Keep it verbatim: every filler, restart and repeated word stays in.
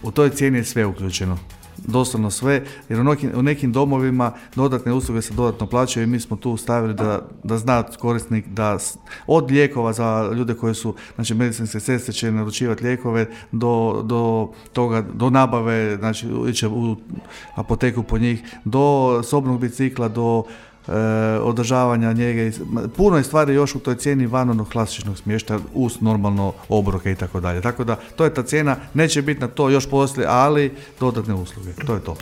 U toj cijeni je sve uključeno. Doslovno sve, jer u nekim, u nekim domovima dodatne usluge se dodatno plaćaju i mi smo tu stavili da, da zna korisnik da od lijekova za ljude koji su, znači medicinske sestre će naručivati lijekove do, do toga, do nabave, znači iće u apoteku po njih, do sobnog bicikla, do e, održavanja njege. Puno je stvari još u toj cijeni van onog klasičnog smještaja uz normalno obroke i tako dalje. Tako da to je ta cijena, neće biti na to još poslije, ali dodatne usluge. To je to.